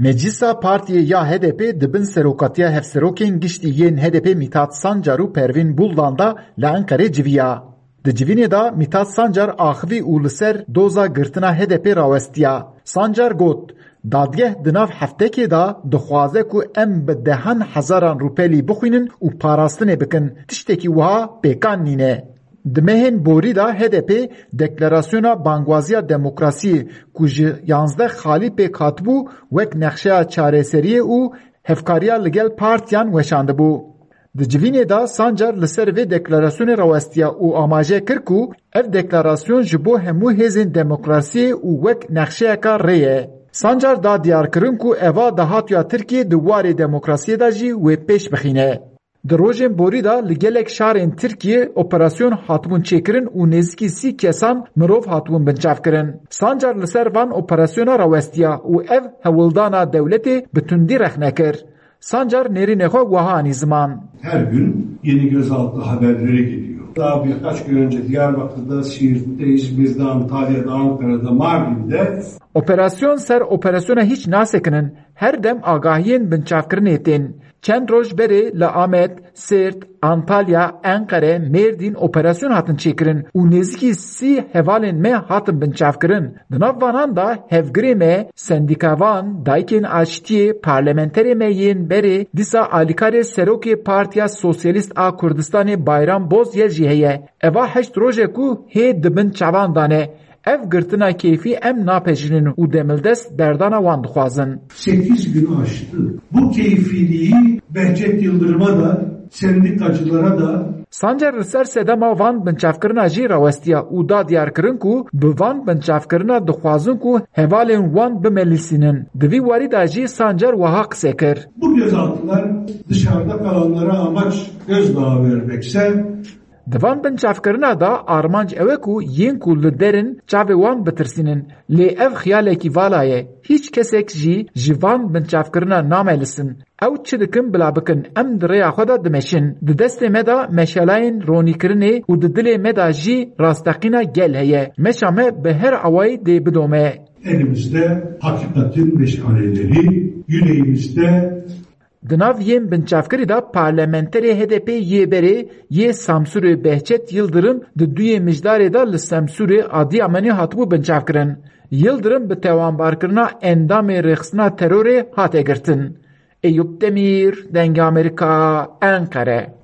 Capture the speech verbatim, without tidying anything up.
Meclisa Partiyê ya H D P di bin serokatiya hevserokên giştî yên H D P Mithat Sancar û Pervîn Buldan de li Enqerê civiya. Di civînê de Mithat Sancar axivî û li ser doza girtina H D P rawestiya. Sancar got, dadgeh di nav heftekê de dixwaze ku em bi dehan hezaran rûpelî bixwînin û parastinê bikin. Tiştekî wiha pêkan nîne. Di mehên borî de H D P deklarasyona bangwaziya demokrasiyê ku ji yanzdeh xalî pêk hatibû wek nexşeya çareseriyê û hevkariya li gel partiyan weşandibû. Di civînê de Sancar li ser vê deklarasyonê rawestiya û amaje kir ku ev deklarasyon ji bo hemû hêzên demokrasiyê û wek nexşeyeka rê ye. Sancar da diyarkirin ku eva dahatuya Tirkiyê di warê demokrasiyê de jî wê pêş bixîne. Di rojên borî de li gelek şarên Tirkiyê operasyon hatibûn çêkirin û nêzîkî sî kesan mirov hatibûn binçavkirin. Sancar li ser van operasyona rawestiya û ev hewldana dewletê bi tundî rexne kir. Sancar nêrînê xwe wiha anî ziman. Her gün yeni gözaltı haberleri geliyor. Daha birkaç gün önce Diyarbakır'da, Siirt'te, İzmir'de, Antalya'da, Ankara'da, Mardin'de Operasyon ser operasyona hîç nasekinin, her dem agahiyên binçavkirinê tên. Çend roj berê li Amed, Sêrt, Antalya, Enqere, Mêrdîn operasyon hatin çêkirin û nêzîkî sî hevalên me hatin binçavkirin. Di nav vanan de hevgirê me, sendîkavan, dayikên aştiyê, parlamenterê me yên berê, dîsa alîkarê serokê Partiya Sosyalîst a Kurdistanê Bayram Bozyel jî heye. Eva heşt roj e ku hê di bin çavan de ne. Ev girtina keyfî em napejirînin û demildest berdana wan dixwazin. Sekiz gün aştı. Bu keyfiliği Behçet Yıldırım'a da, sendikacılara da Sancar li ser sedema van binçavkirina jî rawestiya û da diyarkirin ku bi van binçavkirina dixwazin ku hevalên wan bimelîsînin. Di vî warî de jî Sancar wiha qise kir. Bu gözaltılar dışarıda kalanlara amaç gözdağı vermekse, Di van binçavkirina de armanc ew e ku yên ku li der in çavê wan bitirsînin. Lê ev xiyalekî vala ye. Hîç kesek jî ji van binçavkirina namelisin. Ew çi dikin bila bikin, em di rêya xwe de dimeşin. Di destê me de meşalayên ronîkirinê û di dilê me de jî rasteqîna gel heye. Meşa me bi her awayî dê bidome. Elimizde hakikatin meşaleleri, yüreğimizde Di nav yên binçavkirî de parlamenterê H D P yê berê yê Samsûrê Behçet Yildirim di duyê mijdarê de li Samsûrê Adiyamanê hatibû binçavkirin. Yildirim bi tewanbarkirina endamê rêxistina terorê hate girtin. Eyûp Demîr, Dengê Amerîka, Enqere.